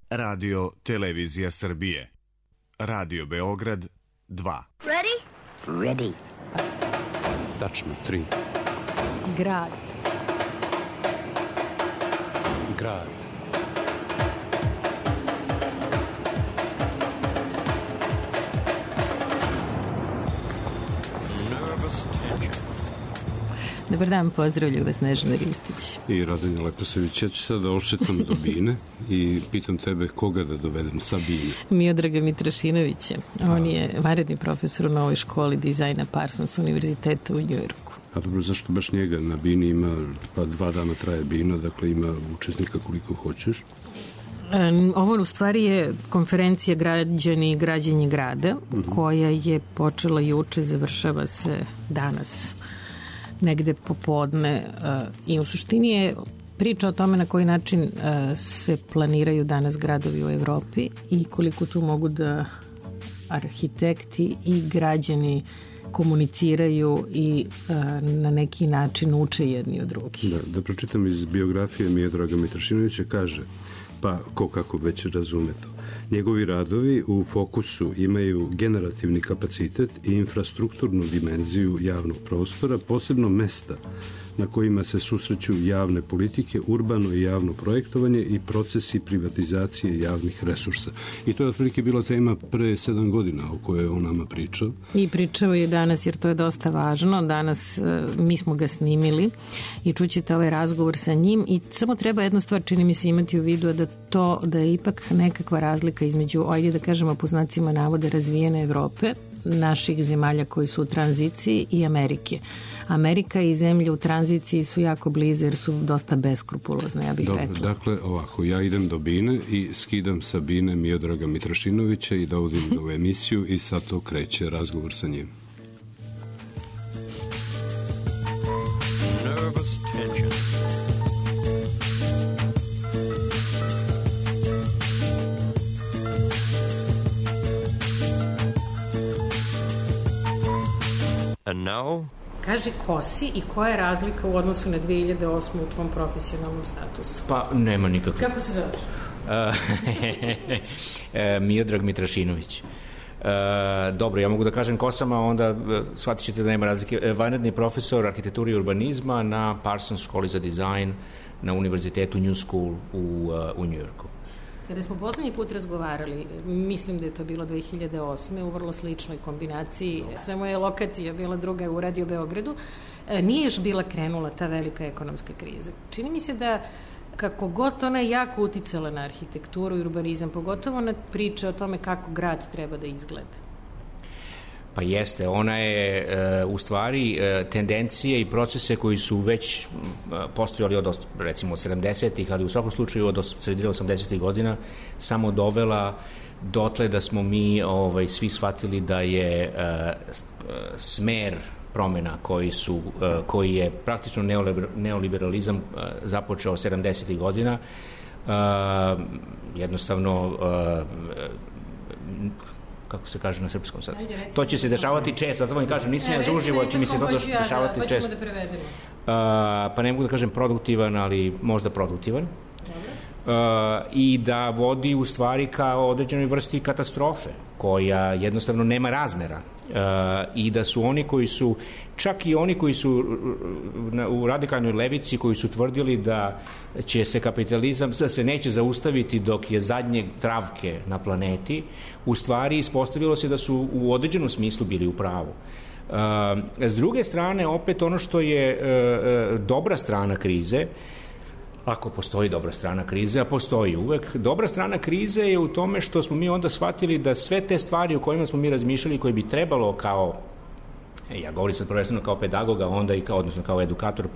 Radio Televizija Srbije. Radio Beograd 2. Ready? Ready. Tačno 3. Grad. Grad. Dobar dan, pozdravljaju vas Nežana Ristić I Radonja Leposević. Ja ću sad da ošetam do Bine i pitam tebe koga da dovedem sa Bine. Miodraga Mitrašinovića. On je vanredni profesor u novoj školi dizajna Parsons univerziteta u Njujorku. A dobro, zašto baš njega? Na Bini ima, pa 2 dana traje Bina, dakle ima učesnika koliko hoćeš. Ovo u stvari je konferencija Građani i građenje grada, koja je počela juče, završava se danas negde popodne i u suštini je priča o tome na koji način se planiraju danas gradovi u Evropi i koliko tu mogu da arhitekti i građani komuniciraju i na neki način uče jedni od drugih. Da pročitam iz biografije Miodraga Mitrašinovića, kaže, pa ko kako već razume to. Njegovi radovi u fokusu imaju generativni kapacitet i infrastrukturnu dimenziju javnog prostora, posebno mesta na kojima se susreću javne politike, urbano i javno projektovanje i procesi privatizacije javnih resursa. I to je otprilike bila tema pre 7 godina o kojoj je on nama pričao. I pričao je danas, jer to je dosta važno. Danas mi smo ga snimili i čućete ovaj razgovor sa njim i samo treba jedna stvar, čini mi se, imati u vidu, da je ipak nekakva razlika između, ajde da kažemo po znacima navode, razvijene Evrope, naših zemalja koji su u tranziciji i Amerike. Amerika i zemlje u tranziciji su jako blize jer su dosta beskrupulozne, ja bih rekla. Dakle, ovako, ja idem do Bine i skidam sa Bine Miodraga Mitrašinovića i dovodim ga u emisiju i sad to kreće razgovor sa njim. Nervous tension. And now? Kaži ko si i koja je razlika u odnosu na 2008. u tvom profesionalnom statusu? Pa, nema nikakve. Kako se zoveš? Miodrag Mitrašinović. Dobro, ja mogu da kažem ko sam, a onda shvatit ćete da nema razlike. Vanredni profesor arhitekture i urbanizma na Parsons školi za dizajn na univerzitetu New School u Njujorku. Kada smo poslednji put razgovarali, mislim da je to bilo 2008. u vrlo sličnoj kombinaciji, samo je lokacija bila druga u Radio Beogradu, nije još bila krenula ta velika ekonomska kriza. Čini mi se da kako god ona je jako uticala na arhitekturu i urbanizam, pogotovo na priče o tome kako grad treba da izgleda. Pa jeste, ona je u stvari tendencije i procese koji su već postojali od, recimo, od 70-ih, ali u svakom slučaju od sredine 80-ih godina samo dovela dotle da smo mi svi shvatili da je smer promena koji je praktično neoliberalizam započeo 70-ih godina, jednostavno kako se kaže na srpskom sad. To će se dešavati često, to vam kažem, nisam ja za uživo, će mi se to dešavati često. Hoćemo da prevedemo. Pa ne mogu da kažem produktivan, ali možda produktivan. I da vodi u stvari kao određenoj vrsti katastrofe, koja jednostavno nema razmera. I da su oni koji su, čak i oni koji su u radikalnoj levici, koji su tvrdili da će se kapitalizam, da se neće zaustaviti dok je zadnje travke na planeti, u stvari ispostavilo se da su u određenom smislu bili u pravu. S druge strane, opet ono što je dobra strana krize, ako postoji dobra strana krize, a postoji uvek, dobra strana krize je u tome što smo mi onda shvatili da sve te stvari o kojima smo mi razmišljali, koje bi trebalo kao, ja govorim sad prvenstveno kao pedagoga, onda i kao, odnosno kao edukator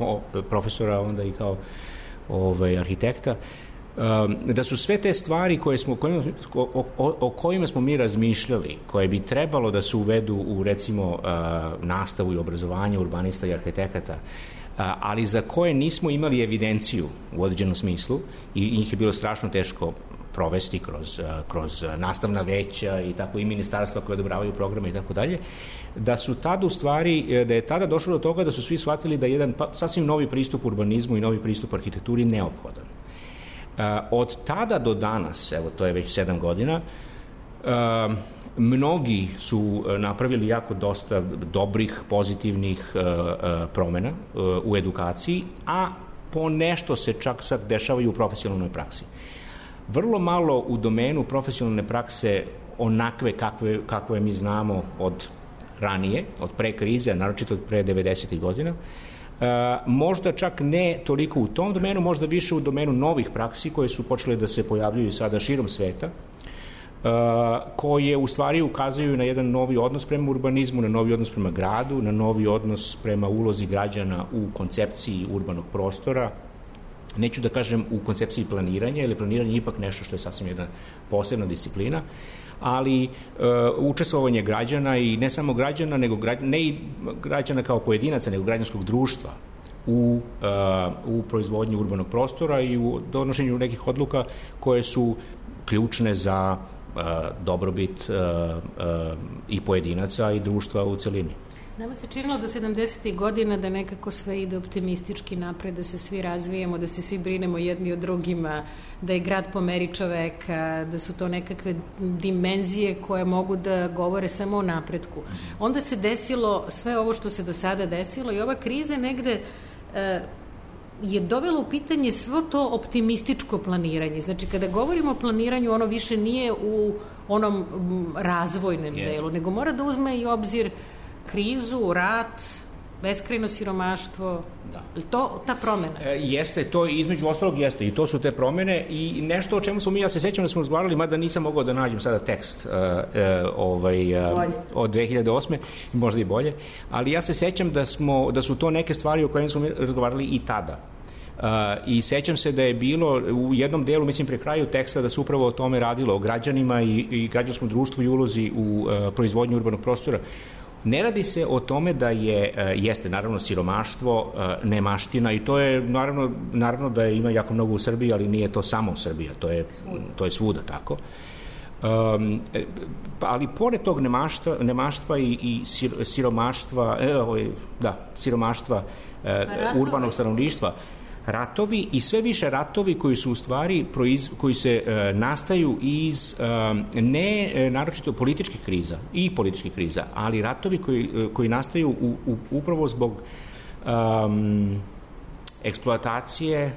profesora, onda i kao arhitekta, da su sve te stvari o kojima smo mi razmišljali, koje bi trebalo da se uvedu u, recimo, nastavu i obrazovanje urbanista i arhitekata, ali za koje nismo imali evidenciju u određenom smislu i njih je bilo strašno teško provesti kroz nastavna veća i tako i ministarstva koje odobravaju programe i tako dalje, da su tada u stvari, da je tada došlo do toga da su svi shvatili da je jedan sasvim novi pristup urbanizmu i novi pristup arhitekturi neophodan. Od tada do danas, evo to je već 7 godina, mnogi su napravili jako dosta dobrih, pozitivnih promena u edukaciji, a po nešto se čak sad dešava i u profesionalnoj praksi. Vrlo malo u domenu profesionalne prakse onakve kakve mi znamo od ranije, od pre krize, naročito od pre 90. godina. Možda čak ne toliko u tom domenu, možda više u domenu novih praksi koje su počele da se pojavljuju sada širom sveta, koje u stvari ukazuju na jedan novi odnos prema urbanizmu, na novi odnos prema gradu, na novi odnos prema ulozi građana u koncepciji urbanog prostora. Neću da kažem u koncepciji planiranja, jer planiranje je ipak nešto što je sasvim jedna posebna disciplina, ali učestvovanje građana i ne samo građana, nego ne i građana kao pojedinaca, nego građanskog društva u proizvodnji urbanog prostora i u donošenju nekih odluka koje su ključne za dobrobit i pojedinaca i društva u celini. Nama se činilo do 70. godina da nekako sve ide optimistički napred, da se svi razvijemo, da se svi brinemo jedni o drugima, da je grad po meri čoveka, da su to nekakve dimenzije koje mogu da govore samo o napretku. Onda se desilo sve ovo što se do sada desilo i ova kriza negde je dovela u pitanje svo to optimističko planiranje. Znači, kada govorimo o planiranju, ono više nije u onom razvojnom delu, nego mora da uzme i obzir krizu, rat, beskrajno siromaštvo. Da. To ta promena? Jeste, to između ostalog jeste i to su te promene i nešto o čemu smo mi, ja se sećam da smo razgovarali, mada nisam mogao da nađem sada tekst od 2008. možda i bolje, ali ja se sećam da su to neke stvari o kojima smo razgovarali i tada. I sećam se da je bilo u jednom delu, mislim pri kraju teksta, da se upravo o tome radilo, o građanima i građanskom društvu i ulozi u proizvodnju urbanog prostora. Ne radi se o tome da jeste naravno siromaštvo, nemaština i to je naravno da ima jako mnogo u Srbiji, ali nije to samo Srbija, to je svuda tako. Ali pored tog nemaštva i siromaštva urbanog stanovništva, ratovi i sve više ratovi koji su u stvari koji se nastaju iz ne naročito političkih kriza, ali ratovi koji nastaju upravo zbog eksploatacije,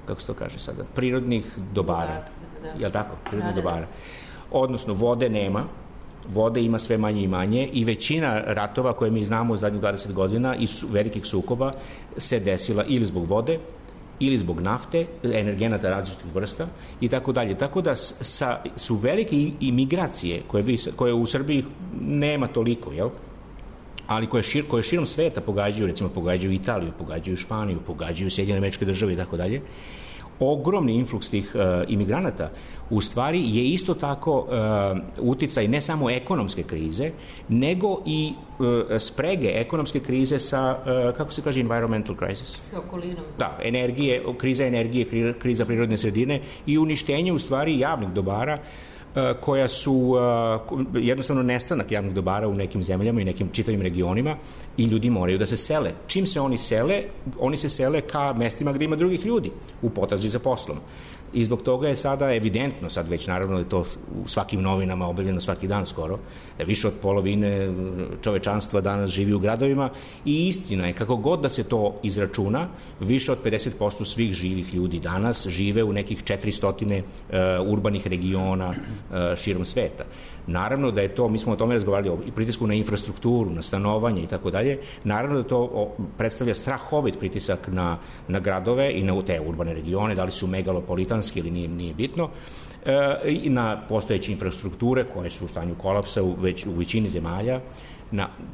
kako se to kaže sada, prirodnih dobara. Jel tako? Prirodnih dobara. Odnosno, vode nema, vode ima sve manje i manje i većina ratova koje mi znamo u zadnjih 20 godina i velikih sukoba se desila ili zbog vode, ili zbog nafte, energenata različitih vrsta i tako dalje. Tako da su velike imigracije koje u Srbiji nema toliko, jel? Ali koje širom sveta pogađaju, recimo pogađaju Italiju, pogađaju Španiju, pogađaju Sjedinjene Američke Države i tako dalje. Ogromni influks tih imigranata u stvari je isto tako uticaj ne samo ekonomske krize, nego i sprege ekonomske krize sa, kako se kaže, environmental crisis. Sa okolinom. Da, kriza energije, kriza prirodne sredine i uništenje u stvari javnih dobara koja su jednostavno nestanak javnih dobara u nekim zemljama i nekim čitavim regionima i ljudi moraju da se sele. Čim se oni sele? Oni se sele ka mestima gde ima drugih ljudi u potrazi za poslom. I zbog toga je sada evidentno, sad već naravno je to u svakim novinama objavljeno svaki dan skoro, da više od polovine čovečanstva danas živi u gradovima i istina je, kako god da se to izračuna, više od 50% svih živih ljudi danas žive u nekih 400 urbanih regiona širom sveta. Naravno da je to, mi smo o tome razgovarali, i pritisku na infrastrukturu, na stanovanje i tako dalje, naravno da to predstavlja strahovit pritisak na gradove i na te urbane regione, da li su megalopolitanski ili nije bitno, i na postojeće infrastrukture koje su u stanju kolapsa već u većini zemalja,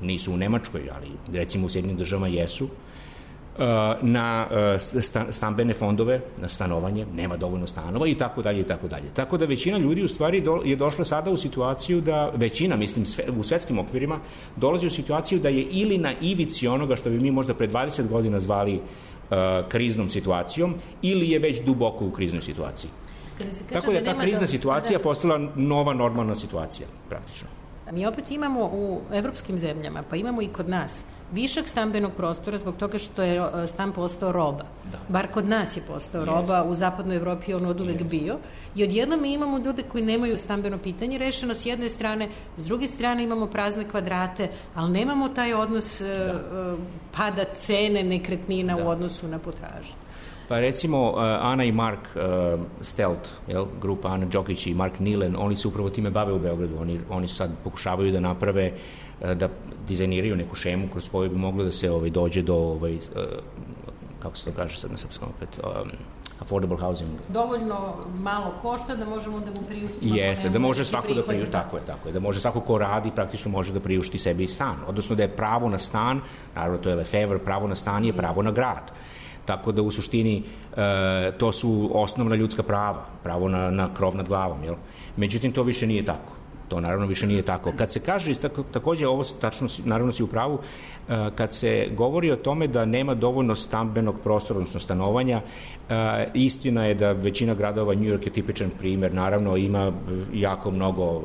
nisu u Nemačkoj, ali recimo u Sjedinjenim Državama jesu, na stambene fondove, na stanovanje, nema dovoljno stanova i tako dalje i tako dalje. Tako da većina ljudi u stvari je došla sada u situaciju da, većina, mislim, u svetskim okvirima, dolazi u situaciju da je ili na ivici onoga što bi mi možda pre 20 godina zvali kriznom situacijom, ili je već duboko u kriznoj situaciji. Tako da je ta krizna situacija postala nova normalna situacija, praktično. Mi opet imamo u evropskim zemljama, pa imamo i kod nas, višak stambenog prostora zbog toga što je stan postao roba. Bar kod nas je postao roba, u zapadnoj Evropi je on od uvek bio. I odjednom mi imamo ljude koji nemaju stambeno pitanje rešeno s jedne strane, s druge strane imamo prazne kvadrate, ali nemamo taj odnos pada cene nekretnina u odnosu na potražnju. Pa recimo Ana i Mark Stelt, grupa Ana Đokić i Mark Nilen, oni se upravo time bave u Beogradu. Oni sad pokušavaju da naprave, da dizajniraju neku šemu kroz koju bi moglo da se dođe do, kako se to kaže sad na srpskom opet, affordable housing. Dovoljno malo košta da možemo da mu priuštimo. Jeste, da može svako da priušti, tako je, da može svako ko radi praktično može da priušti sebi stan. Odnosno da je pravo na stan, naravno to je Lefevre, pravo na stan je pravo na grad. Tako da u suštini to su osnovna ljudska prava, pravo na krov nad glavom, jel? Međutim, to više nije tako. To naravno više nije tako. Kad se kaže, takođe ovo tačno, naravno si u pravu, kad se govori o tome da nema dovoljno stambenog prostora, odnosno stanovanja, istina je da većina gradova, New York je tipičan primer, naravno ima jako mnogo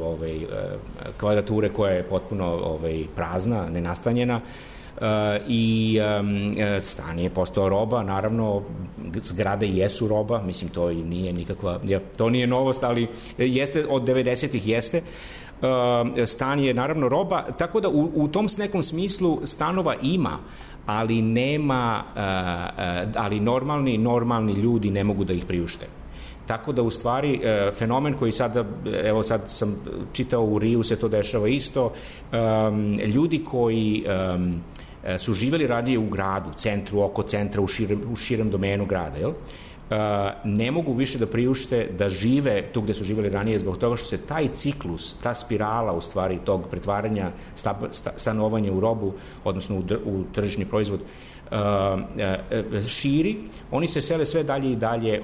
kvadrature koja je potpuno prazna, nenastanjena, i stan je postao roba, naravno zgrade jesu roba, mislim to i nije nikakva, to nije novost, ali jeste, od 90-ih jeste, stan je naravno roba, tako da u tom nekom smislu stanova ima, ali nema, ali normalni ljudi ne mogu da ih priušte. Tako da u stvari fenomen koji sada, evo sad sam čitao u Riju se to dešava isto, ljudi koji su živjeli ranije u gradu, centru, oko centra, u širem domenu grada, jel? Ne mogu više da priušte da žive tu gde su živjeli ranije zbog toga što se taj ciklus, ta spirala u stvari tog pretvaranja stanovanja u robu, odnosno u tržišni proizvod, širi, oni se sele sve dalje i dalje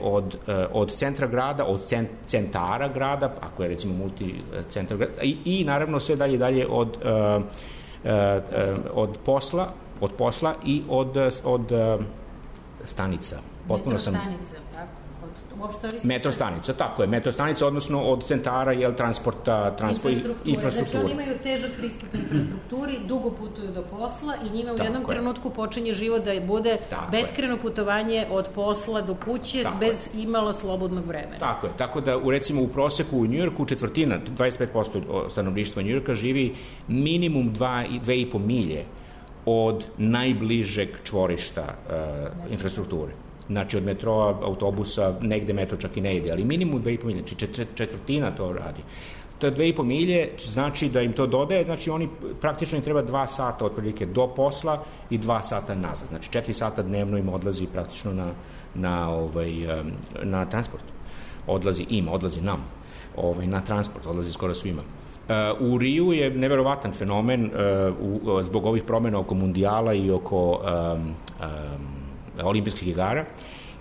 od centra grada, od centara grada, ako je recimo multicentar grada, i naravno sve dalje i dalje od posla i od stanica. Metrostanica, tako? Metrostanica, tako je. Metrostanica, odnosno od centara, transporta, infrastrukture. Znači, oni imaju težak pristup infrastrukturi, dugo putuju do posla i njima u jednom trenutku počinje život da bude beskrajno putovanje od posla do kuće bez imalo slobodnog vremena. Tako je. Tako da, recimo, u proseku u Njujorku četvrtina, 25% stanovništva Njujorka živi minimum 2,5 milje od najbližeg čvorišta infrastrukture. Znači od metroa, autobusa, negde metro čak i ne ide, ali minimum 2,5 milje, znači četvrtina to radi. To je 2,5 milje, znači da im to dodaje, znači oni praktično im treba 2 sata otprilike do posla i 2 sata nazad. Znači 4 sata dnevno im odlazi praktično na transport. Odlazi nam na transport, odlazi skoro svima. U Riju je neverovatan fenomen zbog ovih promjena oko mundijala i oko olimpijskih igara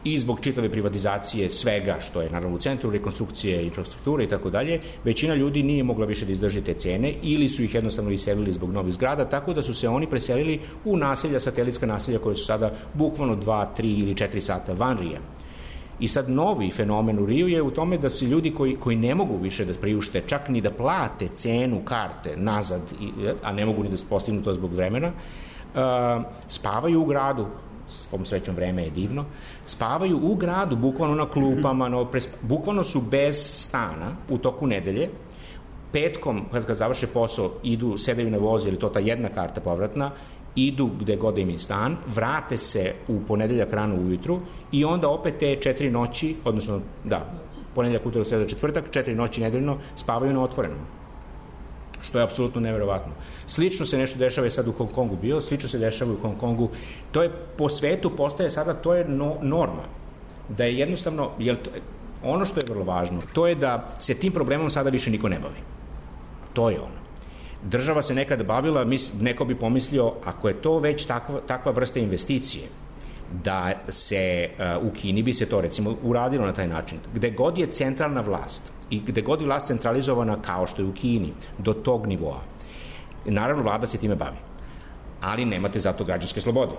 i zbog čitave privatizacije svega što je naravno u centru, rekonstrukcije, infrastrukture i tako dalje, većina ljudi nije mogla više da izdrži te cene ili su ih jednostavno iselili zbog novih zgrada, tako da su se oni preselili u naselja, satelitska naselja koje su sada bukvalno 2, 3 ili 4 sata van Rija. I sad novi fenomen u Riju je u tome da se ljudi koji ne mogu više da priušte, čak ni da plate cenu karte nazad, a ne mogu ni da postignu to zbog vremena, spavaju u gradu, svom srećom vreme je divno, spavaju u gradu, bukvalno na klupama, bukvalno su bez stana u toku nedelje, petkom, kad završe posao, sedaju na voz, ili to ta jedna karta povratna, idu gde god im je stan, vrate se u ponedeljak rano ujutru i onda opet te 4 noći, odnosno, ponedeljak, utorak, sreda, četvrtak, 4 noći nedeljno spavaju na otvorenom. Što je apsolutno neverovatno. Slično se nešto dešava sad u Hong Kongu bio, slično se dešava u Hong Kongu. To je po svetu postaje sada, to je norma. Da je jednostavno, ono što je vrlo važno, to je da se tim problemom sada više niko ne bavi. To je ono. Država se nekada bavila, neko bi pomislio, ako je to već takva vrsta investicije, da se u Kini bi se to recimo uradilo na taj način. Gde god je centralna vlast i gde god je vlast centralizovana kao što je u Kini, do tog nivoa, naravno vlada se time bavi, ali nemate zato građanske slobode.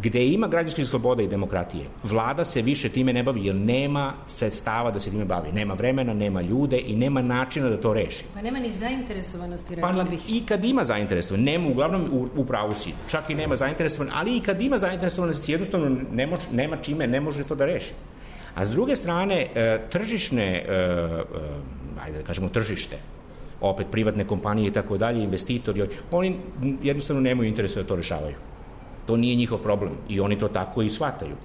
Gde ima građanskih sloboda i demokratije, vlada se više time ne bavi, jer nema sredstava da se time bavi. Nema vremena, nema ljude i nema načina da to reši. Pa nema ni zainteresovanosti, rekla bih. Pa i kad ima zainteresovanosti, nema, uglavnom u pravu si, čak i nema zainteresovanosti, ali i kad ima zainteresovanosti, jednostavno nema čime, ne može to da reši. A s druge strane, tržišne, ajde da kažemo tržište, opet privatne kompanije i tako dalje, investitori, oni jednostavno nemaju interesa da to rešavaju. To nije njihov problem i oni to tako i shvataju.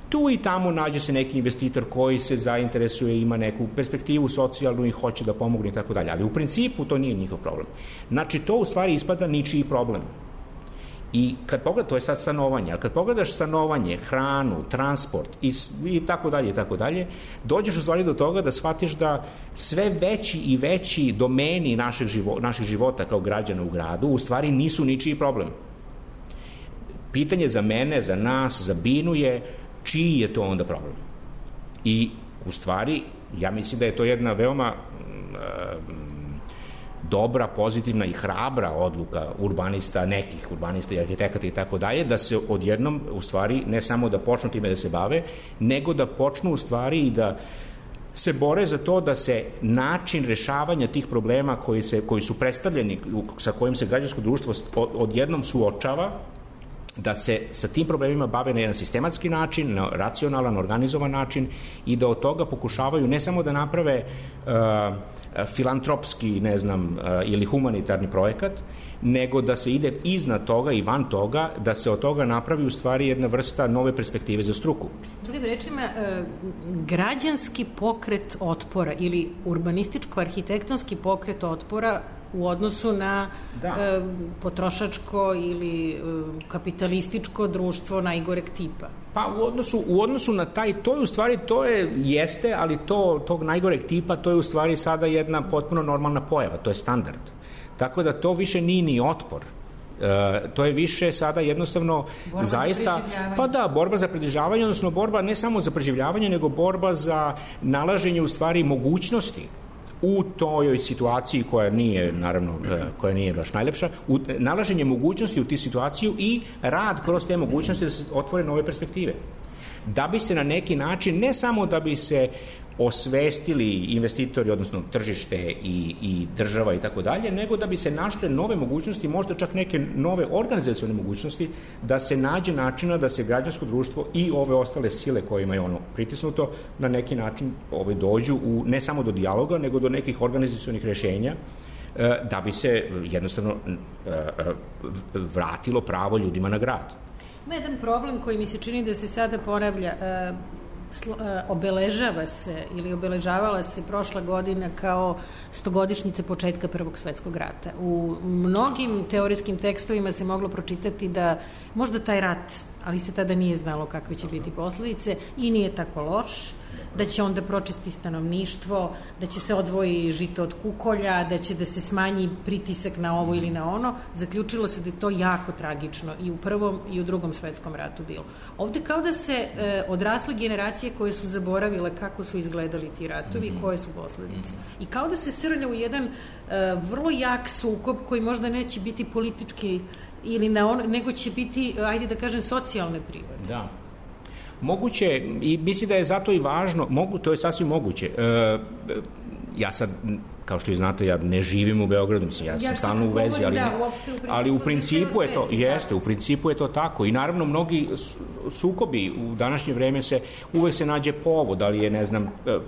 Tu i tamo nađe se neki investitor koji se zainteresuje, ima neku perspektivu socijalnu i hoće da pomogne i tako dalje, ali u principu to nije njihov problem. Znači, to u stvari ispada ničiji problem. I kad pogledaš, to je sad stanovanje, ali kad pogledaš stanovanje, hranu, transport i tako dalje, dođeš u stvari do toga da shvatiš da sve veći i veći domeni naših života kao građana u gradu u stvari nisu ničiji problem. Pitanje za mene, za nas, za Binu je čiji je to onda problem. I u stvari, ja mislim da je to jedna veoma dobra, pozitivna i hrabra odluka nekih urbanista i arhitekata i tako dalje, da se odjednom, u stvari, ne samo da počnu time da se bave, nego da počnu u stvari i da se bore za to da se način rešavanja tih problema koji su predstavljeni, sa kojim se građansko društvo odjednom suočava, da se sa tim problemima bave na jedan sistematski način, na racionalan, organizovan način i da od toga pokušavaju ne samo da naprave filantropski, ili humanitarni projekat, nego da se ide iznad toga i van toga, da se od toga napravi u stvari jedna vrsta nove perspektive za struku. Drugim rečima, građanski pokret otpora ili urbanističko-arhitektonski pokret otpora u odnosu na potrošačko ili kapitalističko društvo najgoreg tipa. Pa u odnosu na to je u stvari, jeste, ali tog najgoreg tipa, to je u stvari sada jedna potpuno normalna pojava, to je standard. Tako da to više nije ni otpor. To je više sada jednostavno borba zaista, borba za preživljavanje, odnosno borba ne samo za preživljavanje, nego borba za nalaženje u stvari mogućnosti u toj situaciji koja nije baš najlepša, nalaženje mogućnosti u tih situaciju i rad kroz te mogućnosti da se otvore nove perspektive. Da bi se na neki način, ne samo da bi se osvestili investitori, odnosno tržište i država i tako dalje, nego da bi se našle nove mogućnosti, možda čak neke nove organizacione mogućnosti, da se nađe načina da se građansko društvo i ove ostale sile kojima je ono pritisnuto na neki način dođu ne samo do dijaloga, nego do nekih organizacionih rešenja, da bi se jednostavno vratilo pravo ljudima na grad. Ima jedan problem koji mi se čini da se sada ponavlja. Obeležavala se prošla godina kao 100-godišnjica početka Prvog svetskog rata. U mnogim teorijskim tekstovima se moglo pročitati da možda taj rat, ali se tada nije znalo kakve će biti posledice, i nije tako loš, da će onda pročisti stanovništvo, da će se odvoji žito od kukolja, da će da se smanji pritisak na ovo ili na ono. Zaključilo se da je to jako tragično i u Prvom i u Drugom svetskom ratu bilo. Ovde kao da se odrasle generacije koje su zaboravile kako su izgledali ti ratovi, koje su posledice. I kao da se srlja u jedan vrlo jak sukob koji možda neće biti politički ili nego će biti, ajde da kažem, socijalne prirode. Da. Moguće, i mislim da je zato i važno, to je sasvim moguće. Ja sad, kao što i znate, ja ne živim u Beogradu, mislim, ja sam stalno u vezi, ali u principu je to, u principu je to tako. I naravno, mnogi sukobi u današnje vreme uvek se nađe povod, ali je,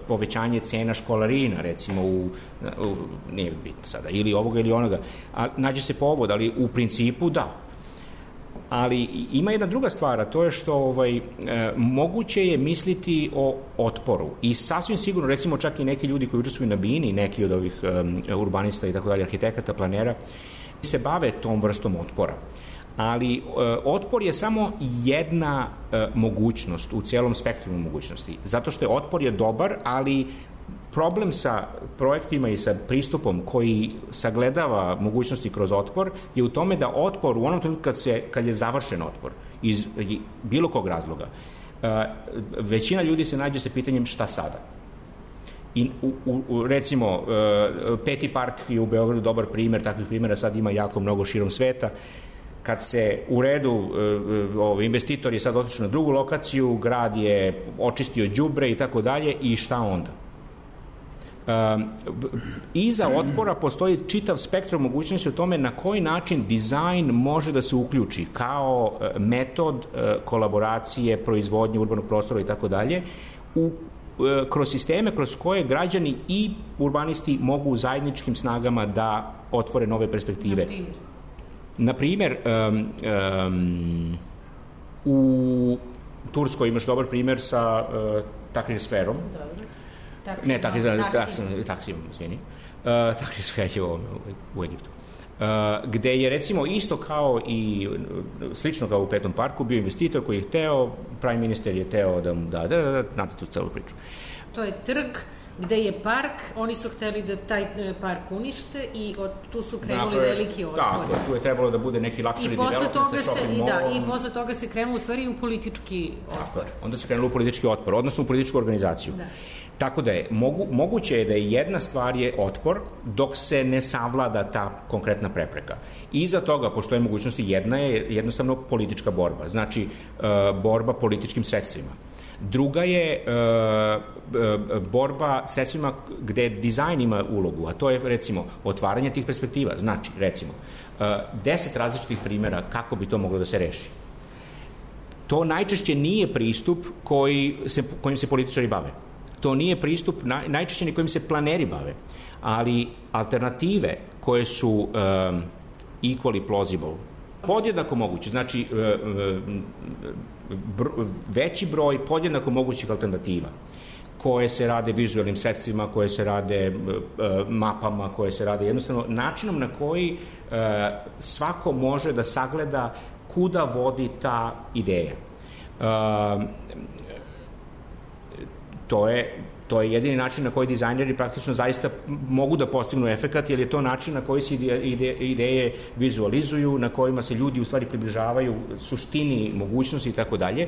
povećanje cena školarina, recimo, nije bitno sada, ili ovoga ili onoga, a nađe se povod, ali u principu da. Ali ima jedna druga stvar, a to je što moguće je misliti o otporu i sasvim sigurno, recimo čak i neki ljudi koji učestvuju na Bini, neki od ovih urbanista i tako dalje, arhitekata, planera, se bave tom vrstom otpora. Ali otpor je samo jedna mogućnost u celom spektrumu mogućnosti, zato što otpor je dobar, ali problem sa projektima i sa pristupom koji sagledava mogućnosti kroz otpor je u tome da otpor u onom trenutku kad je završen otpor iz bilo kog razloga, većina ljudi se nađe sa pitanjem šta sada. I recimo Peti park je u Beogradu dobar primer, takvih primjera sad ima jako mnogo širom sveta. kad se u redu investitor je sad otišao na drugu lokaciju, grad je očistio đubre i tako dalje, i šta onda? Iza otpora postoji čitav spektrum mogućnosti o tome na koji način dizajn može da se uključi kao metod kolaboracije, proizvodnje urbanog prostora i tako dalje, kroz sisteme kroz koje građani i urbanisti mogu zajedničkim snagama da otvore nove perspektive. Na primjer, u Turskoj imaš dobar primjer sa Tahrir sferom. Taksim, izvini. Tahrir sfer je u Egiptu. Gde je, recimo, isto kao i slično kao u Petnom parku, bio investitor koji je hteo, prime minister je hteo da mu da, znate tu celu priču. To je trg gde je park, oni su hteli da taj park unište i tu su krenuli veliki otpor. Tako, tu je trebalo da bude neki luxury development sa shopping mallom. I posle toga se krenulo u stvari u politički otpor. Onda se krenulo u politički otpor, odnosno u političku organizaciju. Da. Tako da je, moguće je da je jedna stvar je otpor dok se ne savlada ta konkretna prepreka. Iza toga, pošto je mogućnosti, jedna je jednostavno politička borba, znači borba političkim sredstvima. Druga je borba sredstvima gde dizajn ima ulogu, a to je, recimo, otvaranje tih perspektiva. Znači, recimo, 10 različitih primjera kako bi to moglo da se reši. To najčešće nije pristup kojim se političari bave. To nije pristup najčešće ni kojim se planeri bave, ali alternative koje su equally plausible, podjednako moguće, znači veći broj podjednako mogućih alternativa koje se rade vizualnim sredstvima, koje se rade mapama, koje se rade jednostavno načinom na koji svako može da sagleda kuda vodi ta ideja. To je jedini način na koji dizajneri praktično zaista mogu da postignu efekat, jer je to način na koji se ideje vizualizuju, na kojima se ljudi u stvari približavaju suštini, mogućnosti i tako dalje,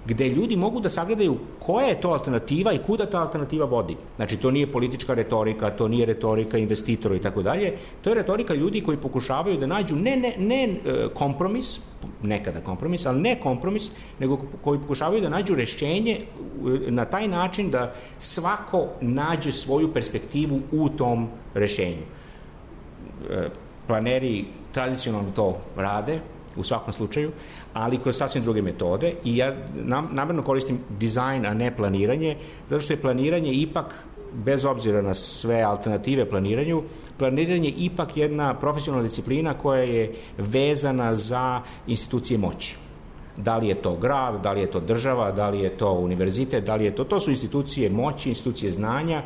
gde ljudi mogu da sagledaju koja je to alternativa i kuda ta alternativa vodi. Znači, to nije politička retorika, to nije retorika investitora i tako dalje, to je retorika ljudi koji pokušavaju da nađu ne kompromis, nekada kompromis, ali ne kompromis, nego koji pokušavaju da nađu rešenje na taj način da svako nađe svoju perspektivu u tom rešenju. Planeri tradicionalno to rade, u svakom slučaju, ali kroz sasvim druge metode, i ja namerno koristim dizajn, a ne planiranje, zato što je planiranje ipak, bez obzira na sve alternative planiranju, planiranje ipak jedna profesionalna disciplina koja je vezana za institucije moći. Da li je to grad, da li je to država, da li je to univerzitet, da li je to su institucije moći, institucije znanja,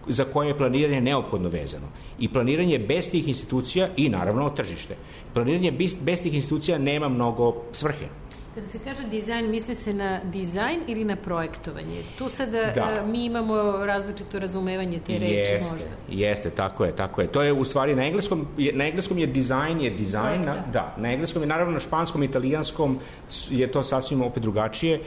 za koje je planiranje neophodno vezano. I planiranje bez tih institucija i naravno tržište. Planiranje bez tih institucija nema mnogo svrhe. Kada se kaže dizajn, misli se na dizajn ili na projektovanje? Tu sada mi imamo različito razumevanje te reči možda. Jeste, tako je. To je u stvari na engleskom je dizajn, na engleskom je, naravno na španskom i italijanskom je to sasvim opet drugačije.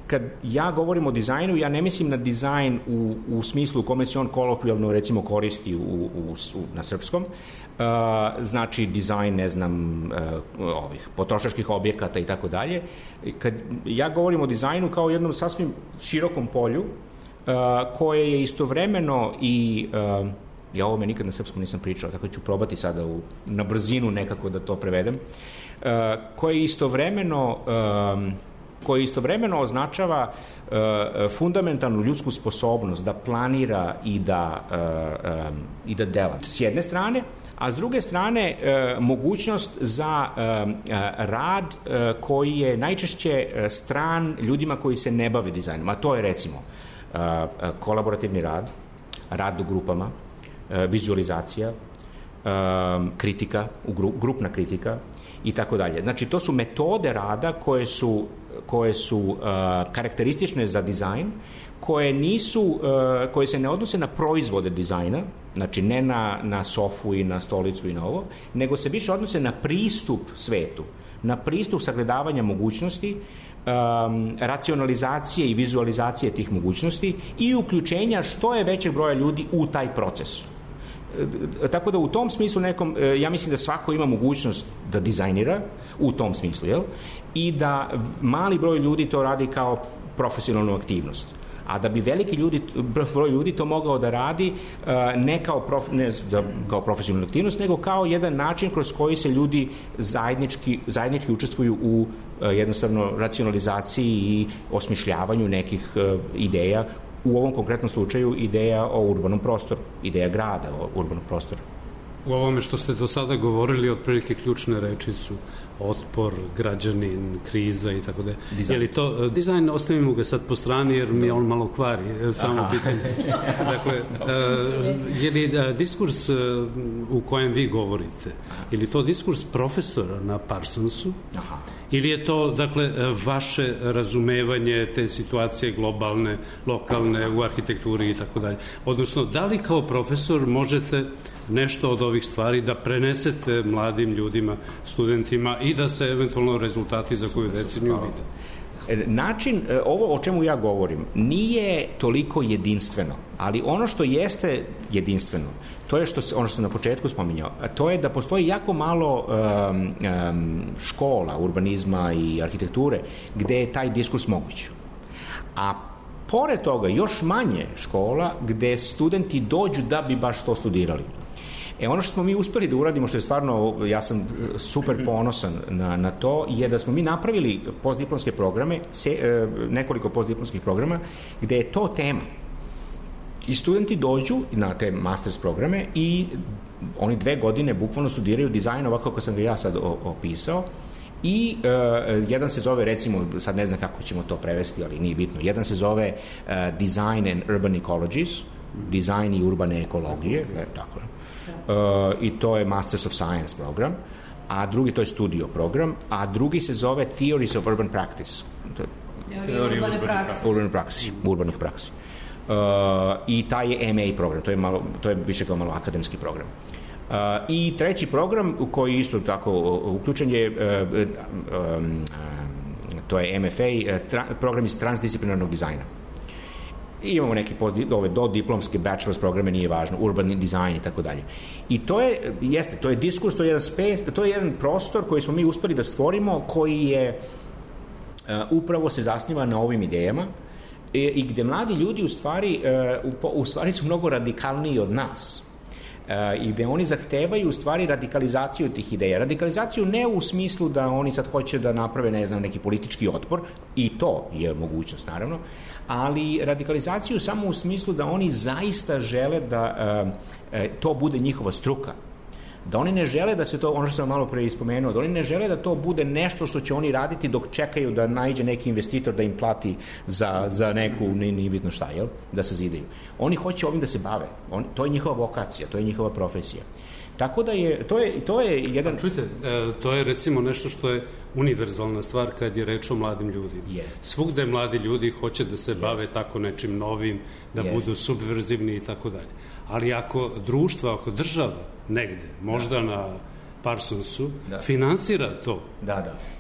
Kad ja govorim o dizajnu, ja ne mislim na dizajn u smislu u kome se on kolokvijalno recimo koristi na srpskom, znači dizajn, ne znam, potrošačkih objekata i tako dalje. Kad ja govorim o dizajnu kao jednom sasvim širokom polju, koje je istovremeno i ja ovome nikad na srpskom nisam pričao, tako ću probati sada na brzinu nekako da to prevedem, koje istovremeno označava fundamentalnu ljudsku sposobnost da planira i da dela s jedne strane, a s druge strane mogućnost za rad koji je najčešće stran ljudima koji se ne bave dizajnom, a to je recimo kolaborativni rad u grupama, vizualizacija, kritika, grupna kritika i tako dalje. Znači, to su metode rada koje su karakteristične za dizajn, koje se ne odnose na proizvode dizajna, znači ne na sofu i na stolicu i na ovo, nego se više odnose na pristup svetu, na pristup sagledavanja mogućnosti, racionalizacije i vizualizacije tih mogućnosti i uključenja što je većeg broja ljudi u taj proces. tako da u tom smislu nekom, ja mislim da svako ima mogućnost da dizajnira u tom smislu, jel? I da mali broj ljudi to radi kao profesionalnu aktivnost. A da bi veliki broj ljudi to mogao da radi ne kao profesionalnu aktivnost, nego kao jedan način kroz koji se ljudi zajednički učestvuju u jednostavno racionalizaciji i osmišljavanju nekih ideja, u ovom konkretnom slučaju ideja o urbanom prostoru, ideja grada o urbanom prostoru. U ovome što ste do sada govorili, otprilike ključne reči su otpor, građanin, kriza i tako da. Je li to dizajn, ostavimo ga sad po strani jer mi on malo kvari samo pitanje. Dakle, je li diskurs u kojem vi govorite, je li to diskurs profesora na Parsonsu? Aha. Ili je to, dakle, vaše razumevanje te situacije globalne, lokalne, u arhitekturi i tako dalje? Odnosno, da li kao profesor možete nešto od ovih stvari da prenesete mladim ljudima, studentima i da se eventualno rezultati za koju deceniju vide? Način, ovo o čemu ja govorim, nije toliko jedinstveno, ali ono što jeste jedinstveno, to je ono što sam na početku spominjao, to je da postoji jako malo škola urbanizma i arhitekture gde je taj diskurs moguć. A pored toga još manje škola gde studenti dođu da bi baš to studirali. Ono što smo mi uspeli da uradimo, što je stvarno, ja sam super ponosan na to, je da smo mi napravili postdiplomske programe, nekoliko postdiplomskih programa, gde je to tema. I studenti dođu na te masters programe i oni 2 godine bukvalno studiraju dizajn ovako kako sam ga ja sad opisao. I jedan se zove, recimo, sad ne znam kako ćemo to prevesti, ali nije bitno, jedan se zove Design and Urban Ecologies, dizajn i urbane ekologije, tako je. I to je Masters of Science program, a drugi, to je studio program, a drugi se zove Theories of Urban Practice. Teorije urbanih praksi. I taj je MA program, to je više kao malo akademski program. I treći program koji isto tako uključen je to je MFA, program iz transdisciplinarnog dizajna. I imamo neki do diplomske bachelor's programe, nije važno, urbani dizajn i tako dalje. I to je diskurs, to je jedan prostor koji smo mi uspeli da stvorimo, koji je upravo se zasniva na ovim idejama i gde mladi ljudi u stvari su mnogo radikalniji od nas. I gde oni zahtevaju u stvari radikalizaciju tih ideja. Radikalizaciju ne u smislu da oni sad hoće da naprave, ne znam, neki politički otpor, i to je mogućnost, naravno, ali radikalizaciju samo u smislu da oni zaista žele da to bude njihova struka. Da oni ne žele da se to, ono što sam malo pre ispomenuo, da oni ne žele da to bude nešto što će oni raditi dok čekaju da naiđe neki investitor da im plati za neku, nije bitno šta, jel? Da se zidaju. Oni hoće ovim da se bave. To je njihova vokacija, to je njihova profesija. Tako da to je jedan... Čujte, to je recimo nešto što je univerzalna stvar kad je reč o mladim ljudima. Svugde mladi ljudi hoće da se bave tako nečim novim, da budu subverzivni i tako dalje. Ali ako društvo, ako država negde, možda na Parsonsu, finansira to.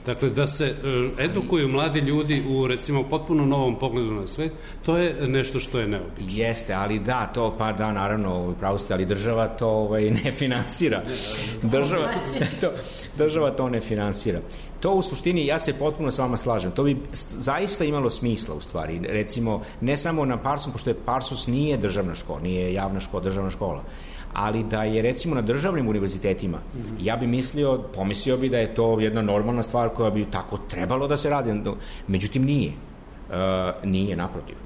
Dakle, da se edukuju mladi ljudi u, recimo, potpuno novom pogledu na svet, to je nešto što je neobično. Jeste, ali naravno, pravo ste, ali država to ne finansira. Država to ne finansira. To u suštini, ja se potpuno s vama slažem, to bi zaista imalo smisla u stvari, recimo, ne samo na Parsons, pošto je Parsons nije državna škola, nije javna škola, državna škola, ali da je recimo na državnim univerzitetima, ja bi pomislio bi da je to jedna normalna stvar koja bi tako trebalo da se radi, međutim nije, naprotiv.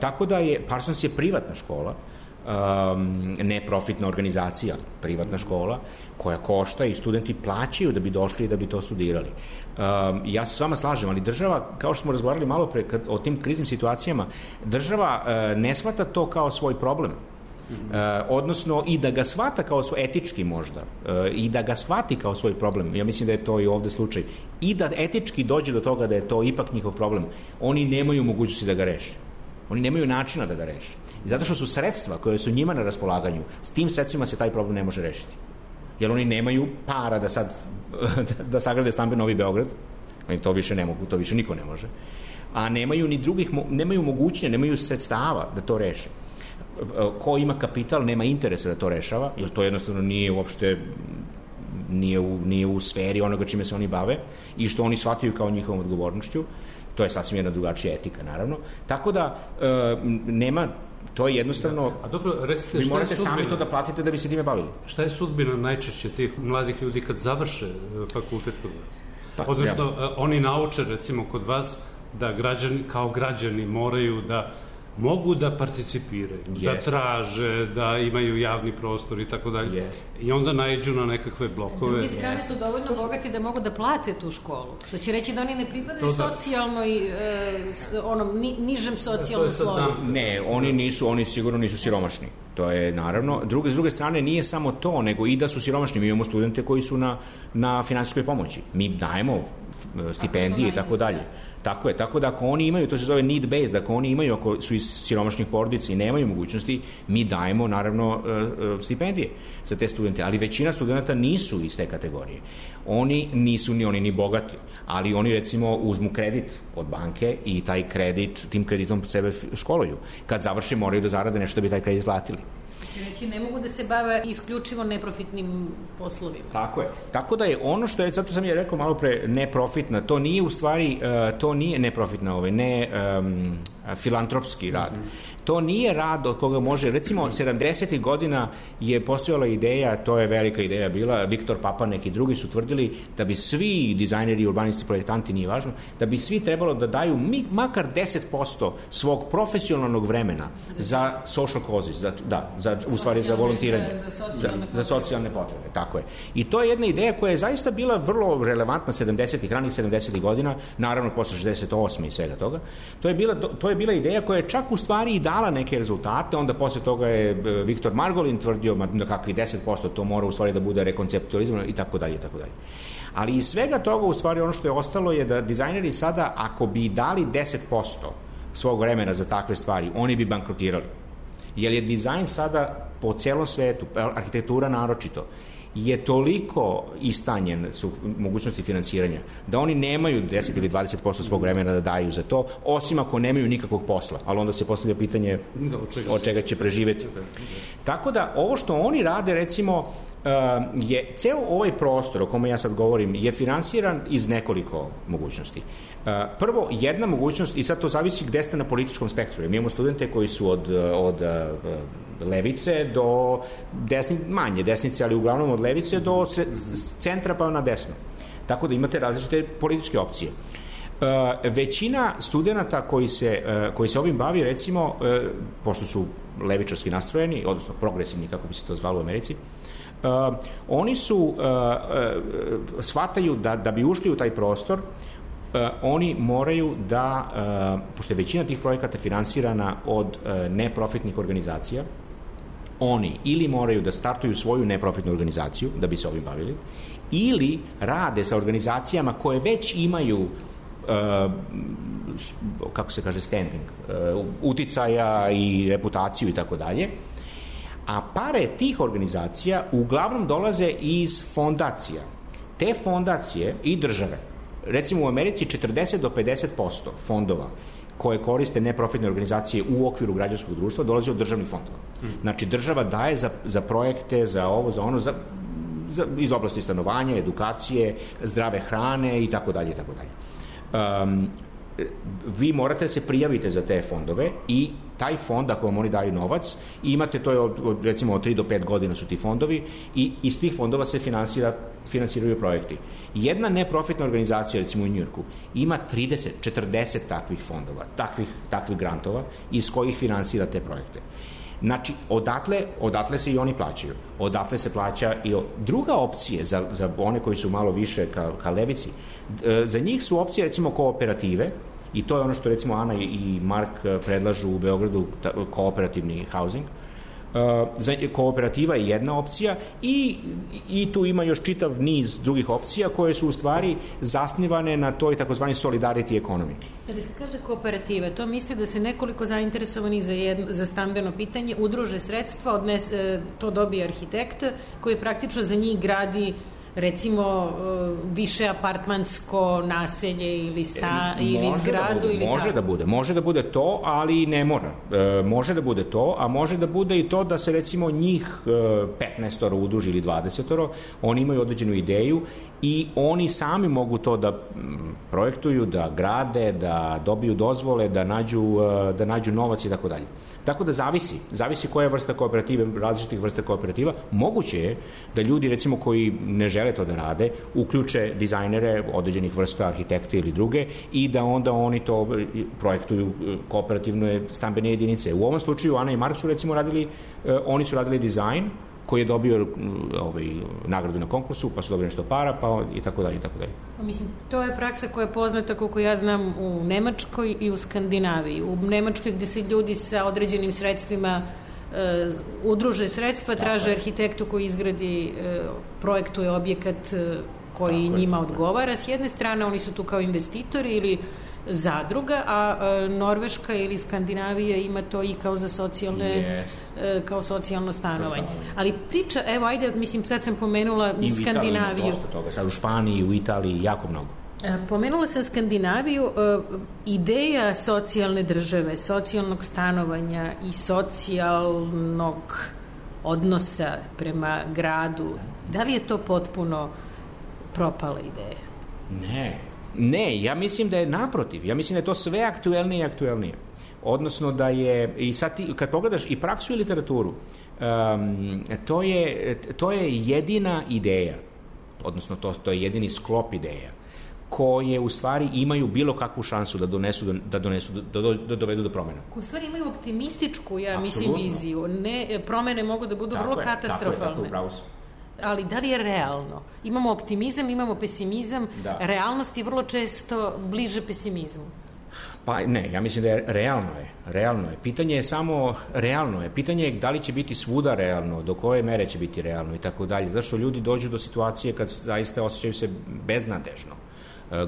Tako da Parsons je privatna škola, neprofitna organizacija, privatna škola, koja košta i studenti plaćaju da bi došli i da bi to studirali. Ja se s vama slažem, ali država, kao što smo razgovarali malo pre o tim kriznim situacijama, država ne shvata to kao svoj problem. Odnosno i da ga shvata kao svoj etički možda i da ga shvati kao svoj problem, ja mislim da je to i ovde slučaj, i da etički dođe do toga da je to ipak njihov problem, oni nemaju mogućnosti da ga reše, oni nemaju načina da ga reše, i zato što su sredstva koje su njima na raspolaganju, s tim sredstvima se taj problem ne može rešiti, jer oni nemaju para da sad da sagrade stamben Novi Beograd, oni to više ne mogu, to više niko ne može, a nemaju ni drugih, nemaju mogućnje, nemaju sredstava da to reše. ko ima kapital nema interesa da to rešava, jer to jednostavno nije uopšte nije u sferi onoga čime se oni bave i što oni shvataju kao njihovom odgovornošću. To je sasvim jedna drugačija etika, naravno. Tako da nema, to je jednostavno, a dobro, recite, vi morate sami to da platite da bi se time bavili. Šta je sudbina najčešće tih mladih ljudi kad završe fakultet kod vas? Odnosno, oni nauče, recimo, kod vas da kao građani moraju da mogu da participiraju, da traže, da imaju javni prostor i tako dalje. I onda naiđu na nekakve blokove. S druge strane su dovoljno bogati da mogu da plate tu školu. Što će reći da oni ne pripadaju socijalnoj, nižem socijalnom sloju. Ne, oni sigurno nisu siromašni. To je naravno. S druge strane nije samo to, nego i da su siromašni. Mi imamo studente koji su na finansijskoj pomoći. Mi dajemo stipendije i tako dalje. Tako je, tako da ako oni imaju, to se zove need based, ako oni imaju, ako su iz siromašnih porodica i nemaju mogućnosti, mi dajemo naravno stipendije za te studente, ali većina studenta nisu iz te kategorije. Oni nisu ni bogati, ali oni recimo uzmu kredit od banke i taj kredit, tim kreditom sebe školuju. Kad završe moraju da zarade nešto da bi taj kredit platili. Znači, ne mogu da se bave isključivo neprofitnim poslovima. Tako je. Tako da je ono što je, zato sam je rekao malo pre, neprofitna, to nije u stvari, to nije neprofitna, filantropski rad. To nije rad od koga može, recimo, 70. godina je postojala ideja, to je velika ideja bila, Viktor Papanek i drugi su tvrdili da bi svi dizajneri, urbanisti, projektanti, nije važno, da bi svi trebalo da daju makar 10% svog profesionalnog vremena za social causes, za volontiranje, za socijalne potrebe, tako je. I to je jedna ideja koja je zaista bila vrlo relevantna ranih 70. godina, naravno posle 68. i svega toga. To je bila ideja koja je čak u stvari i dala neke rezultate, onda posle toga je Viktor Margolin tvrdio da kakvi 10% to mora u stvari da bude rekonceptualizovano i tako dalje, i tako dalje. Ali iz svega toga u stvari ono što je ostalo je da dizajneri sada, ako bi dali 10% svog vremena za takve stvari, oni bi bankrotirali. Jer je dizajn sada po celom svetu, arhitektura naročito, je toliko istanjen su mogućnosti finansiranja, da oni nemaju 10 ili 20% svog vremena da daju za to, osim ako nemaju nikakvog posla, ali onda se postavlja pitanje od čega će preživeti. Tako da ovo što oni rade, recimo, je ceo ovaj prostor o kome ja sad govorim je finansiran iz nekoliko mogućnosti. Prvo, jedna mogućnost, i sad to zavisi gde ste na političkom spektru. Mi imamo studente koji su od levice do manje desnice, ali uglavnom od levice do centra pa na desno. Tako da imate različite političke opcije. Većina studenta koji se ovim bavi, recimo, pošto su levičarski nastrojeni, odnosno progresivni, kako bi se to zvalo u Americi, oni shvataju da bi ušli u taj prostor, oni moraju da, pošto je većina tih projekata finansirana od neprofitnih organizacija, oni ili moraju da startuju svoju neprofitnu organizaciju da bi se ovim bavili, ili rade sa organizacijama koje već imaju kako se kaže standing, uticaja i reputaciju i tako dalje, a pare tih organizacija uglavnom dolaze iz fondacija. Te fondacije i države, recimo u Americi 40 do 50% fondova koje koriste neprofitne organizacije u okviru građanskog društva dolazi od državnih fondova. Znači država daje za projekte, za ovo, za ono, iz oblasti stanovanja, edukacije, zdrave hrane i tako dalje i tako dalje. Vi morate da se prijavite za te fondove i taj fond, ako vam oni daju novac, imate, to je recimo od 3 do 5 godina su ti fondovi i iz tih fondova se finansiraju projekti. Jedna neprofitna organizacija, recimo u Njujorku, ima 30, 40 takvih fondova, takvih grantova iz kojih finansira te projekte. Znači, odatle se i oni plaćaju. Odatle se plaća i druga opcija za one koji su malo više ka levici. Za njih su opcije, recimo, kooperative, i to je ono što, recimo, Ana i Mark predlažu u Beogradu, kooperativni housing. Kooperativa je jedna opcija i tu ima još čitav niz drugih opcija koje su u stvari zasnivane na toj takozvani solidarity economy. Kada se kaže kooperativa, to misli da se nekoliko zainteresovani za stambeno pitanje udruže sredstva, to dobije arhitekt koji praktično za njih gradi recimo više apartmansko naselje ili ili zgradu ili može da bude to, ali ne mora. Može da bude to, a može da bude i to da se recimo njih 15 udruži ili 20, oni imaju određenu ideju i oni sami mogu to da projektuju, da grade, da dobiju dozvole, da nađu novac i tako dalje. Tako da zavisi koja je vrsta kooperative, različitih vrsta kooperativa. Moguće je da ljudi, recimo, koji ne žele to da rade, uključe dizajnere određenih vrsta, arhitekte ili druge, i da onda oni to projektuju kooperativne stambene jedinice. U ovom slučaju Ana i Mark su, recimo, oni su radili dizajn koji je dobio nagradu na konkursu, pa su dobili nešto para, pa i tako dalje, i tako dalje. Mislim, to je praksa koja je poznata, koliko ja znam, u Nemačkoj i u Skandinaviji. U Nemačkoj gde se ljudi sa određenim sredstvima udruže sredstva, traže arhitektu koji izgradi, projektuje objekat koji njima odgovara. S jedne strane, oni su tu kao investitori ili zadruga, a Norveška ili Skandinavija ima to i kao za kao socijalno stanovanje. Ali priča, evo, ajde, mislim, sad sam pomenula Skandinaviju. I dosta toga, sad u Španiji, u Italiji, jako mnogo. Pomenula sam Skandinaviju, ideja socijalne države, socijalnog stanovanja i socijalnog odnosa prema gradu, da li je to potpuno propala ideja? Ne, ja mislim da je naprotiv. Ja mislim da je to sve aktuelnije i aktuelnije. Odnosno da je, i sad ti, kad pogledaš i praksu i literaturu, to je jedina ideja, odnosno to je jedini sklop ideja koje u stvari imaju bilo kakvu šansu da dovedu do promena. U stvari imaju optimističku, mislim, viziju. Promene mogu da budu vrlo katastrofalne. Tako je, upravo su. Ali da li je realno? Imamo optimizam, imamo pesimizam, realnost je vrlo često bliže pesimizmu. Pa ne, ja mislim da je realno je. Pitanje je samo realno je. Pitanje je da li će biti svuda realno, do koje mere će biti realno i tako dalje. Zato što ljudi dođu do situacije kad zaista osjećaju se beznadežno.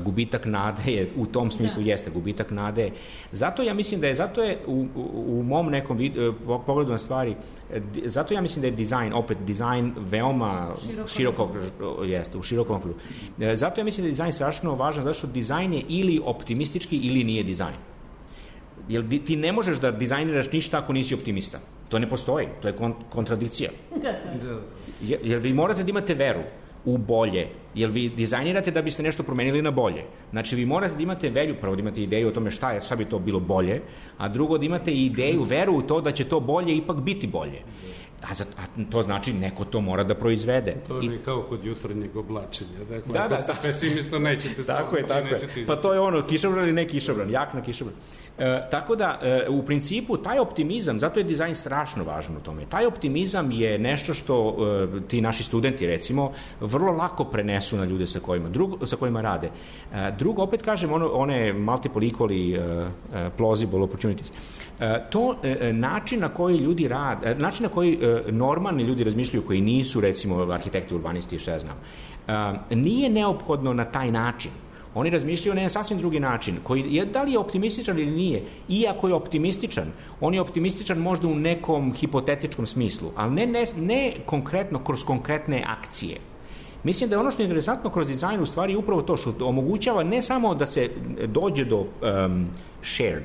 Gubitak nade je, u tom smislu jeste gubitak nade. Zato ja mislim da je, u mom nekom pogledu na stvari, zato ja mislim da je dizajn veoma u širokom okviru. Zato ja mislim da je dizajn strašno važan, zato što dizajn je ili optimistički ili nije dizajn. Jer ti ne možeš da dizajniraš ništa ako nisi optimista. To ne postoji, to je kontradikcija. Jer vi morate da imate veru u bolje, jer vi dizajnirate da biste nešto promenili na bolje. Znači, vi morate da imate prvo da imate ideju o tome šta bi to bilo bolje, a drugo da imate ideju, veru u to da će to bolje ipak biti bolje. A to znači neko to mora da proizvede. To je kao kod jutarnjeg oblačenja. Dakle, ako ste pesimista, nećete se izaći. Pa to je ono, kišobran ili ne kišobran, jak na kišobran. Tako da, u principu, taj optimizam, zato je dizajn strašno važan u tome. Taj optimizam je nešto što ti naši studenti, recimo, vrlo lako prenesu na ljude sa kojima rade. Drugo, opet kažem, one multiple equally plausible opportunities. To način na koji ljudi rade, način na koji normalni ljudi razmišljaju, koji nisu, recimo, arhitekti, urbanisti, što ja znam, nije neophodno na taj način. Oni razmišljaju na jedan sasvim drugi način, da li je optimističan ili nije. Iako je optimističan, on je optimističan možda u nekom hipotetičkom smislu, ali ne konkretno kroz konkretne akcije. Mislim da je ono što je interesantno kroz dizajn u stvari upravo to što omogućava ne samo da se dođe do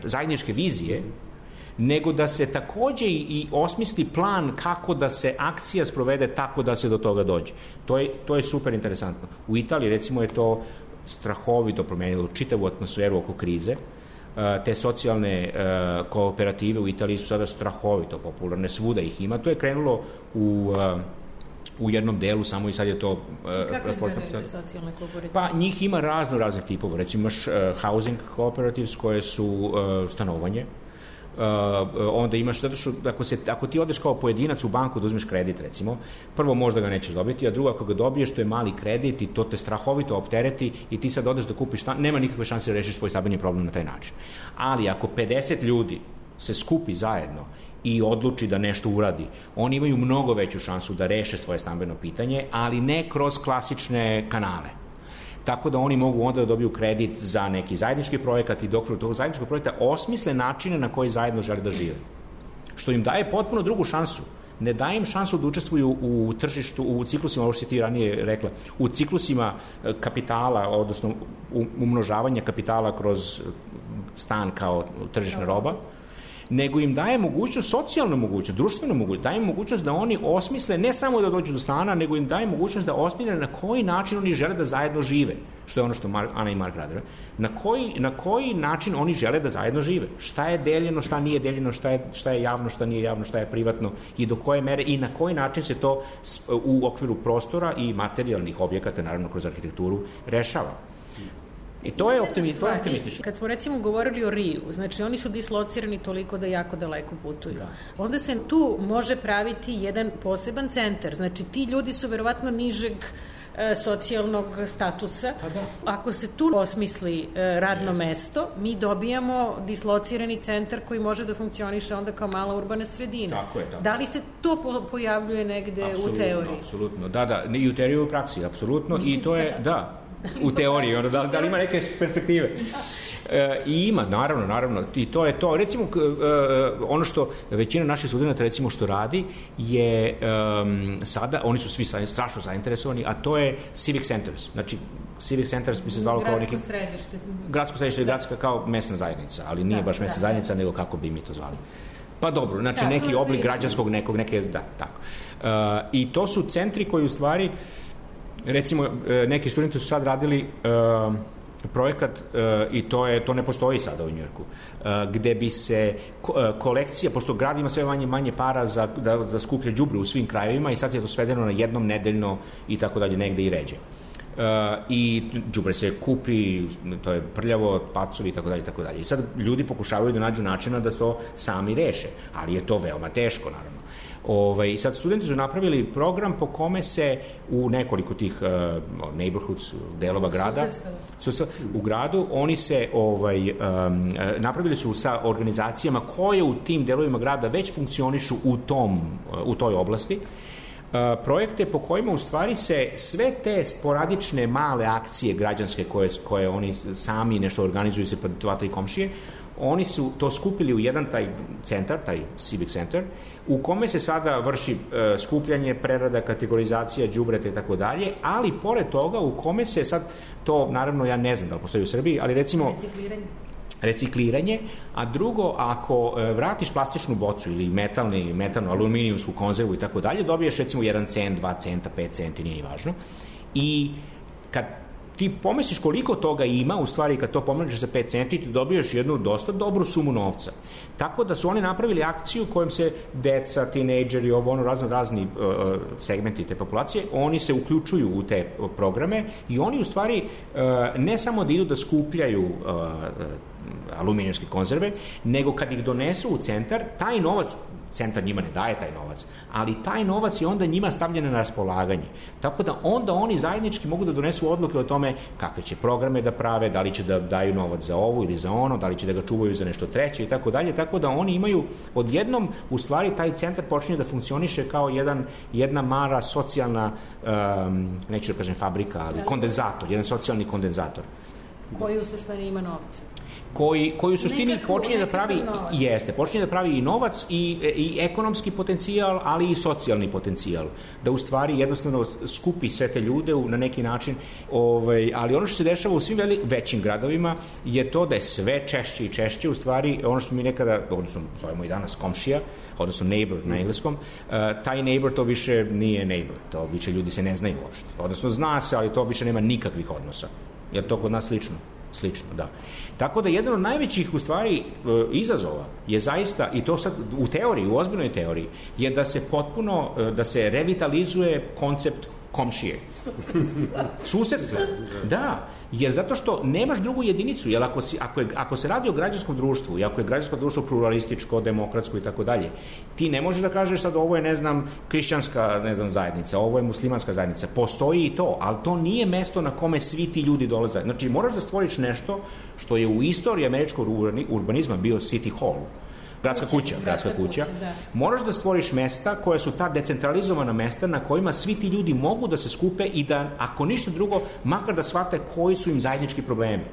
zajedničke vizije, nego da se takođe i osmisli plan kako da se akcija sprovede tako da se do toga dođe. To je super interesantno. U Italiji, recimo, je to strahovito promenilo čitavu atmosferu oko krize. Te socijalne kooperative u Italiji su sada strahovito popularne, svuda ih ima. To je krenulo u jednom delu samo i sad je to... Kako izgledaju te socijalne kooperative? Pa njih ima raznih tipova. Recimo imaš housing cooperatives koje su stanovanje. Onda imaš, zato što ako ti odeš kao pojedinac u banku da uzmeš kredit, recimo, prvo možda ga nećeš dobiti, a drugo ako ga dobiješ, to je mali kredit i to te strahovito optereti i ti sad odeš da kupiš stan, nema nikakve šanse da rešiš svoj stambeni problem na taj način. Ali ako 50 ljudi se skupi zajedno i odluči da nešto uradi, oni imaju mnogo veću šansu da reše svoje stambeno pitanje, ali ne kroz klasične kanale. Tako da oni mogu onda da dobiju kredit za neki zajednički projekat i dok tog zajedničkog projekta osmisle načine na koji zajedno žele da žive. Što im daje potpuno drugu šansu. ne daje im šansu da učestvuju u tržištu, u ciklusima, ovo što ti ranije rekla, u ciklusima kapitala, odnosno umnožavanja kapitala kroz stan kao tržišna roba, nego im daje mogućnost, socijalnu mogućnost, društvenu mogućnost, daje im mogućnost da oni osmisle, ne samo da dođu do stana, nego im daje mogućnost da osmisle na koji način oni žele da zajedno žive, što je ono što Ana i Mark rade. Na koji način oni žele da zajedno žive. Šta je deljeno, šta nije deljeno, šta je javno, šta nije javno, šta je privatno i do koje mere i na koji način se to u okviru prostora i materijalnih objekata, naravno kroz arhitekturu, rešava. I to je optimistično. Kad smo recimo govorili o Riju, znači oni su dislocirani toliko da jako daleko putuju. Onda se tu može praviti jedan poseban centar. Znači ti ljudi su verovatno nižeg socijalnog statusa. Ako se tu osmisli radno mesto, mi dobijamo dislocirani centar koji može da funkcioniše onda kao mala urbana sredina. Tako je. Da li se to pojavljuje negde u teoriji? Apsolutno, da. I u teoriji i u praksi, apsolutno. I to je, da, u teoriji, da li ima neke perspektive? I ima, naravno, i to je to. Recimo, ono što većina naših studenta, recimo, što radi, je sada, oni su svi strašno zainteresovani, a to je civic centers. Znači, civic centers bi se zvalo kao neki... Gradsko središte, gradska kao mesna zajednica, ali nije baš mesna zajednica, nego kako bi mi to zvali. Pa dobro, znači neki oblik građanskog tako. I to su centri koji u stvari, recimo, neki studenti su sad radili projekat, i to ne postoji sada u Njujorku, gde bi se kolekcija, pošto grad ima sve manje para za skuplje đubre u svim krajevima i sad je to svedeno na jednom nedeljno i tako dalje, negde i ređe. I đubre se kupi, to je prljavo, pacovi i tako dalje. I sad ljudi pokušavaju da nađu načina da to sami reše, ali je to veoma teško, naravno. I sad studenti su napravili program po kome se u nekoliko tih neighborhoods, delova grada, u gradu, oni se napravili su sa organizacijama koje u tim delovima grada već funkcionišu u toj oblasti, projekte po kojima u stvari se sve te sporadične male akcije građanske koje oni sami nešto organizuju se pred i komšije, oni su to skupili u jedan taj centar, taj civic center, u kome se sada vrši skupljanje, prerada, kategorizacija, đubreta i tako dalje, ali pored toga u kome se sad, to naravno ja ne znam da li postoji u Srbiji, ali recimo recikliranje, a drugo, ako vratiš plastičnu bocu ili metalnu, aluminijumsku konzervu i tako dalje, dobiješ recimo 1 cent, 2 centa, 5 centi, nije važno. I kad ti pomisliš koliko toga ima, u stvari kad to pomnožiš za 5 centi, ti dobiješ jednu dosta dobru sumu novca. Tako da su oni napravili akciju kojom se deca, tinejdžeri, razni segmenti te populacije, oni se uključuju u te programe i oni u stvari ne samo da idu da skupljaju aluminijumske konzerve, nego kad ih donesu u centar, taj novac, centar njima ne daje taj novac, ali taj novac je onda njima stavljen na raspolaganje. Tako da onda oni zajednički mogu da donesu odluke o tome kakve će programe da prave, da li će da daju novac za ovo ili za ono, da li će da ga čuvaju za nešto treće i tako dalje, tako da oni imaju odjednom, u stvari taj centar počinje da funkcioniše kao jedna mala socijalna, neću da kažem fabrika, ali kondenzator, jedan socijalni kondenzator. Koji u suštini ima novca. Koji u suštini počinje da pravi i novac i ekonomski potencijal, ali i socijalni potencijal. Da u stvari jednostavno skupi sve te ljude na neki način, ali ono što se dešava u svim većim gradovima je to da je sve češće i češće, u stvari ono što mi nekada, odnosno zovemo i danas komšija, odnosno neighbor na engleskom, taj neighbor to više nije neighbor, to više ljudi se ne znaju uopšte. Odnosno zna se, ali to više nema nikakvih odnosa. Je li to kod nas slično? Slično, da. Tako da jedan od najvećih u stvari izazova je zaista, i to sad u teoriji, u ozbiljnoj teoriji, je da se potpuno, da se revitalizuje koncept komšije. Susedstva. Da, jer zato što nemaš drugu jedinicu, jer ako se radi o građanskom društvu i ako je građansko društvo pluralističko, demokratsko i tako dalje, ti ne možeš da kažeš sad ovo je, ne znam, hrišćanska, ne znam, zajednica, ovo je muslimanska zajednica. Postoji i to, ali to nije mesto na kome svi ti ljudi dolaze. Znači, moraš da stvoriš nešto što je u istoriji američkog urbanizma bio City Hall, gradska kuća. Moraš da stvoriš mesta koja su ta decentralizovana mesta na kojima svi ti ljudi mogu da se skupe i da, ako ništa drugo, makar da shvate koji su im zajednički problemi.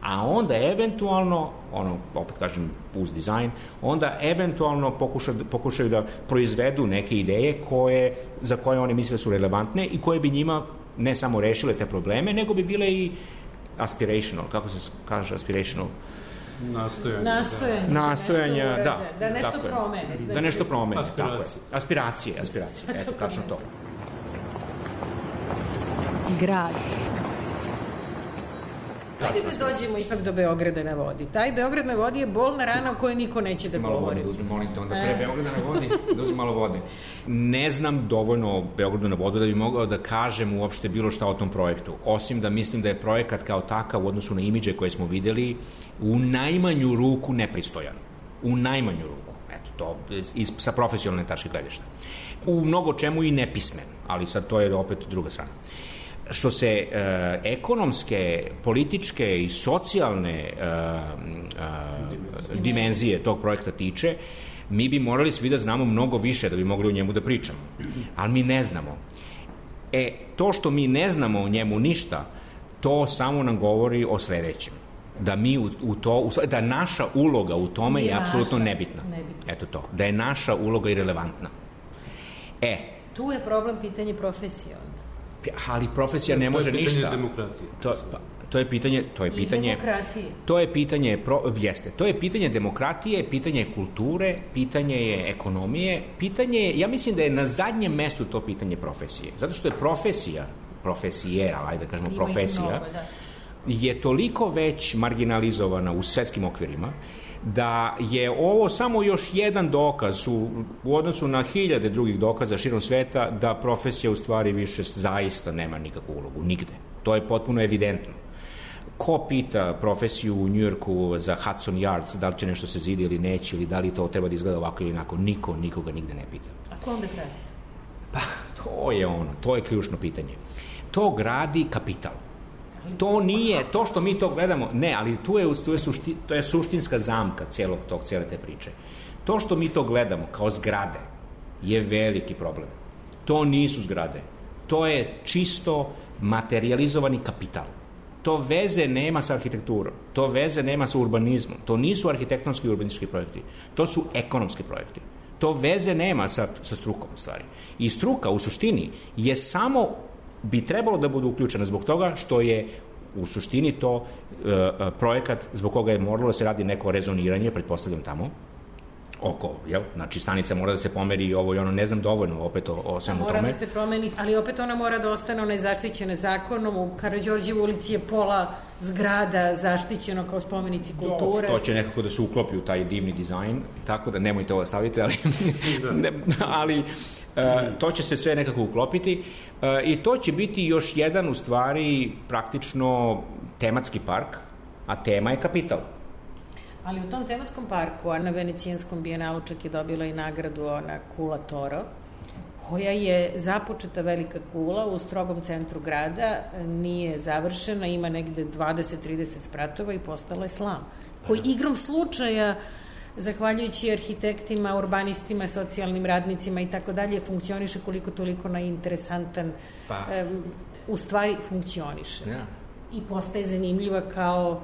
A onda eventualno, opet kažem, uz dizajn, onda eventualno pokušaju da proizvedu neke ideje za koje oni misle su relevantne i koje bi njima ne samo rešile te probleme, nego bi bile i aspirational, kako se kaže aspirational? Nastojanja, da. Da nešto promene. Da nešto promene, tako je. Aspiracije, eto, tačno to. Grad. Ajde da dođemo ipak do Beograda na vodi. Taj Beograd na vodi je bolna rana o kojoj niko neće da govori. Malo vode, molim te, onda pre Beograda na vodi, da uzmem malo vode. Ne znam dovoljno o Beogradu na vodu da bi mogao da kažem uopšte bilo šta o tom projektu. Osim da mislim da je projekat kao takav u odnosu na imidže koje smo videli u najmanju ruku nepristojan. U najmanju ruku. Eto, to sa profesionalne tačke gledišta. U mnogo čemu i nepismen, ali sad to je opet druga strana. Što se ekonomske, političke i socijalne dimenzije tog projekta tiče, mi bi morali svi da znamo mnogo više da bi mogli o njemu da pričamo. Ali mi ne znamo. To što mi ne znamo o njemu ništa, to samo nam govori o sledećem. Da mi da naša uloga u tome je apsolutno nebitna. Eto to. Da je naša uloga irelevantna. Tu je problem pitanje profesije. Ali profesija ne može ništa. To je pitanje demokratije. To je pitanje demokratije. To je pitanje demokratije, pitanje kulture, pitanje je ekonomije, ja mislim da je na zadnjem mestu to pitanje profesije. Zato što je profesija, ajde da kažemo profesija, je toliko već marginalizovana u svetskim okvirima, da je ovo samo još jedan dokaz u odnosu na hiljade drugih dokaza širom sveta da profesija u stvari više zaista nema nikakvu ulogu, nigde. To je potpuno evidentno. Ko pita profesiju u Njujorku za Hudson Yards, da li će nešto se zidi ili neće, ili da li to treba da izgleda ovako ili onako, nikoga nigde ne pita. A ko onda gradi to? Pa, to je ključno pitanje. To gradi kapital. To nije, to što mi to gledamo, ne, ali to je suštinska zamka cijele te priče. To što mi to gledamo kao zgrade je veliki problem. To nisu zgrade. To je čisto materializovani kapital. To veze nema sa arhitekturom. To veze nema sa urbanizmom. To nisu arhitektonski i urbanistički projekti. To su ekonomski projekti. To veze nema sa strukom u stvari. I struka u suštini je samo bi trebalo da bude uključena zbog toga što je u suštini to projekat zbog koga je moralo da se radi neko rezoniranje, pretpostavljam tamo, znači stanica mora da se pomeri i ovo i ono, ne znam dovoljno opet o svemu tome. Mora da se promeni, ali opet ona mora da ostane, ona je zaštićena zakonom, u Karađorđevoj ulici je pola zgrada zaštićeno kao spomenici kulture. To će nekako da se uklopi u taj divni dizajn, tako da nemojte ovo staviti, ali to će se sve nekako uklopiti i to će biti još jedan u stvari praktično tematski park, a tema je kapital. Ali u tom tematskom parku, a na Venecijanskom bijenalu čak je dobila i nagradu ona Kula Toro, koja je započeta velika kula u strogom centru grada, nije završena, ima negde 20-30 spratova i postala je slam. Koji igrom slučaja, zahvaljujući arhitektima, urbanistima, socijalnim radnicima i tako dalje, funkcioniše koliko toliko na interesantan, u stvari funkcioniše. I postaje zanimljiva kao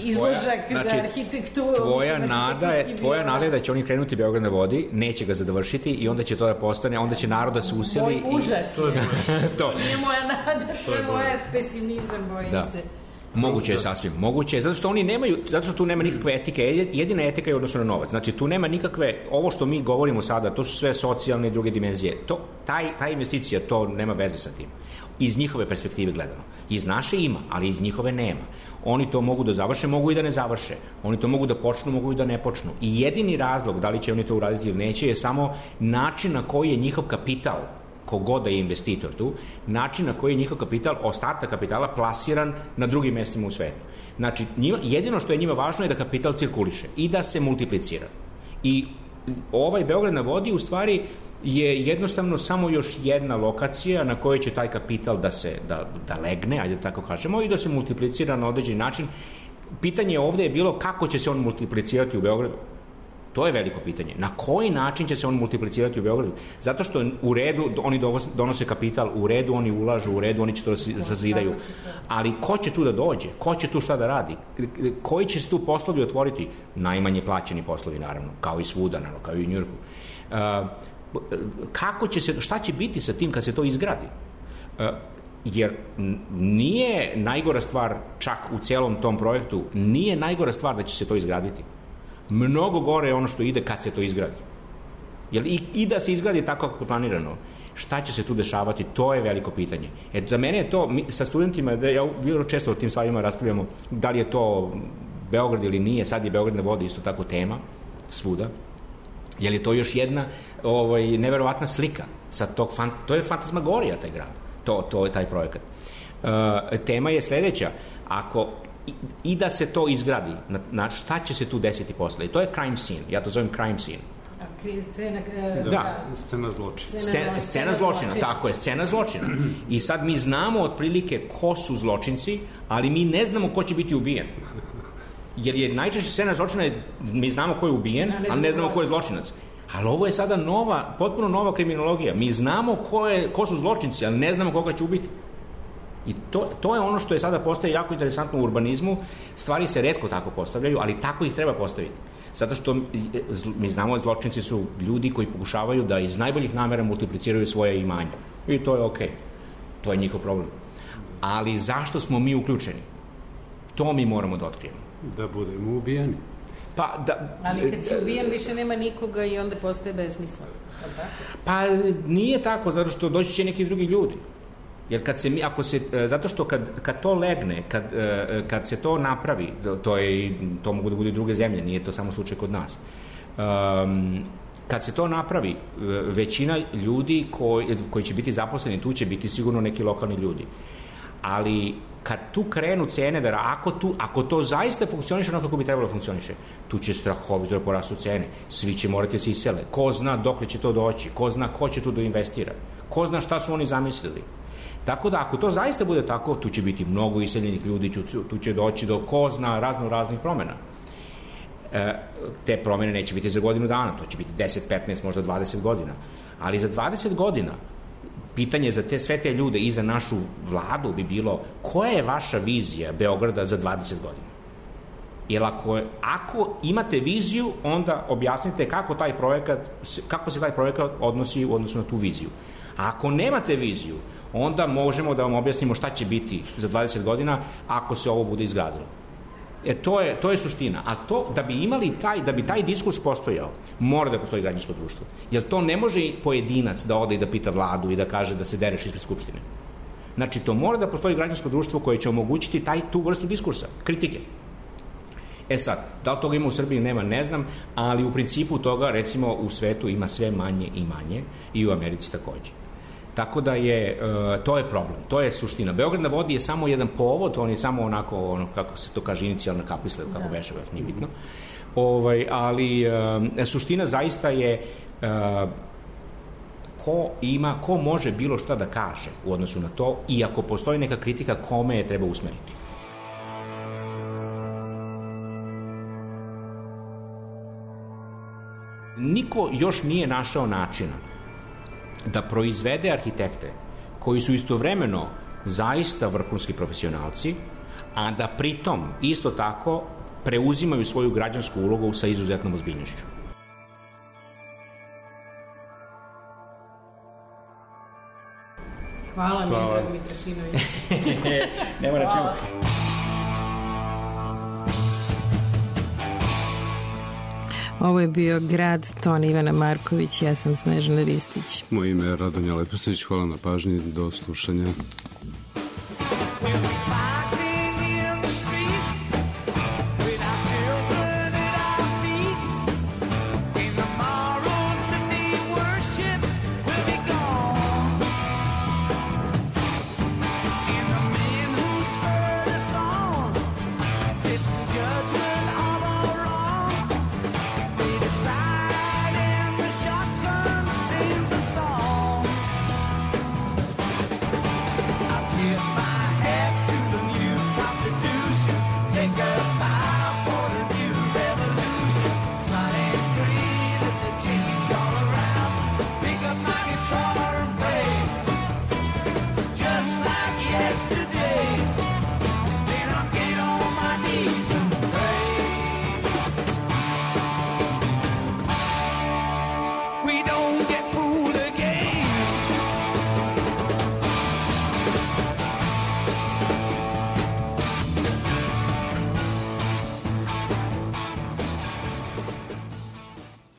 izložak za arhitектuru. Tvoja nada je da će oni krenuti Beograd na vodi, neće ga završiti i onda će to da postane, onda će narod da se useli. Moj užas je. To nije moja nada, to je moja pesimizam, bojim se. Moguće je sasvim, moguće je, zato što oni nemaju, zato što tu nema nikakve etike, jedina etika je u odnosu na novac, znači tu nema nikakve, ovo što mi govorimo sada, to su sve socijalne i druge dimenzije, ta investicija, to nema veze sa tim, iz njihove perspektive gledano, iz naše ima, ali iz njihove nema, oni to mogu da završe, mogu i da ne završe, oni to mogu da počnu, mogu i da ne počnu i jedini razlog da li će oni to uraditi ili neće je samo način na koji je njihov kapital, kogod da je investitor tu, način na koji je njihov kapital, ostatak kapitala plasiran na drugim mestima u svetu. Znači, jedino što je njima važno je da kapital cirkuliše i da se multiplicira. I ovaj Beograd na vodi u stvari je jednostavno samo još jedna lokacija na kojoj će taj kapital da legne, ajde tako kažemo, i da se multiplicira na određeni način. Pitanje ovde je bilo kako će se on multiplicirati u Beogradu. To je veliko pitanje. Na koji način će se on multiplicirati u Beogradu? Zato što u redu oni donose kapital, u redu oni ulažu, u redu oni će to sazidaju. Ali ko će tu da dođe? Ko će tu šta da radi? Koji će se tu poslovi otvoriti? Najmanje plaćeni poslovi, naravno, kao i svuda, naravno, kao i u Njujorku. Šta će biti sa tim kad se to izgradi? Jer nije najgora stvar, čak u celom tom projektu, nije najgora stvar da će se to izgraditi. Mnogo gore je ono što ide kad se to izgradi. Jer i da se izgradi tako kako je planirano, šta će se tu dešavati, to je veliko pitanje. Za mene je to, sa studentima, ja vrlo često o tim stvarima raspravljamo, da li je to Beograd ili nije, sad je Beograd na vodi isto tako tema, svuda. Je li to još jedna neverovatna slika sa tog, to je fantasmagorija taj grad, to je taj projekat. Tema je sledeća, ako i da se to izgradi, šta će se tu desiti posle? I to je crime scene, ja to zovem crime scene. Scena zločina. Scena zločina, tako je, scena zločina. I sad mi znamo otprilike ko su zločinci, ali mi ne znamo ko će biti ubijen. Jer je najčešće scena zločina, mi znamo ko je ubijen, ali ne znamo ko je zločinac. Ali ovo je sada potpuno nova kriminologija. Mi znamo ko su zločinci, ali ne znamo koga će ubiti. I to je ono što je sada postaje jako interesantno u urbanizmu. Stvari se retko tako postavljaju, ali tako ih treba postaviti. Zato što mi znamo zločinci su ljudi koji pokušavaju da iz najboljih namera multipliciraju svoje imanje. I to je okej. To je njihov problem. Ali zašto smo mi uključeni? To mi moramo da otkrijemo. Da budemo ubijeni. Ali kad si ubijen više nema nikoga i onda postaje besmisleno. Pa nije tako, zato što doći će neki drugi ljudi. Jer zato što kad to legne, kad se to napravi, to mogu da bude druge zemlje, nije to samo slučaj kod nas. Kad se to napravi, većina ljudi koji će biti zaposleni, tu će biti sigurno neki lokalni ljudi. Ali kad tu krenu cene, ako to zaista funkcioniše ono kako bi trebalo funkcioniše, tu će strahovito da porastu cene. Svi će morati da se isele. Ko zna dokle će to doći, ko zna ko će tu da investira, ko zna šta su oni zamislili. Tako da, ako to zaista bude tako, tu će biti mnogo iseljenih ljudi, tu će doći do ko zna raznih promena. Te promene neće biti za godinu dana, to će biti 10, 15, možda 20 godina. Ali za 20 godina pitanje za sve te ljude i za našu vladu bi bilo koja je vaša vizija Beograda za 20 godina? Jer ako imate viziju, onda objasnite kako se taj projekat odnosi u odnosu na tu viziju. A ako nemate viziju, onda možemo da vam objasnimo šta će biti za 20 godina ako se ovo bude izgradilo. To je suština. A to, da bi taj diskurs postojao, mora da postoji građansko društvo. Jer to ne može pojedinac da ode i da pita vladu i da kaže da se dereš ispred Skupštine. Znači, to mora da postoji građansko društvo koje će omogućiti tu vrstu diskursa, kritike. Sad, da li toga ima u Srbiji, nema, ne znam, ali u principu toga, recimo, u svetu ima sve manje i manje i u Americi takođe. Tako da to je problem, to je suština. Beograd na vodi je samo jedan povod, on je samo onako, kako se to kaže, inicijalna kapisla, kako beše, nije bitno. Ali suština zaista je ko može bilo šta da kaže u odnosu na to i ako postoji neka kritika, kome je treba usmeriti. Niko još nije našao načina da proizvede arhitekte koji su istovremeno zaista vrhunski profesionalci, a da pritom isto tako preuzimaju svoju građansku ulogu sa izuzetnom ozbiljnošću. Hvala. Miodrag Mitrašinović. Nema na čemu. Ovo je bio Grad, ton Ivana Marković, ja sam Snežana Ristić. Moje ime je Radonja Leposić, hvala na pažnji, do slušanja.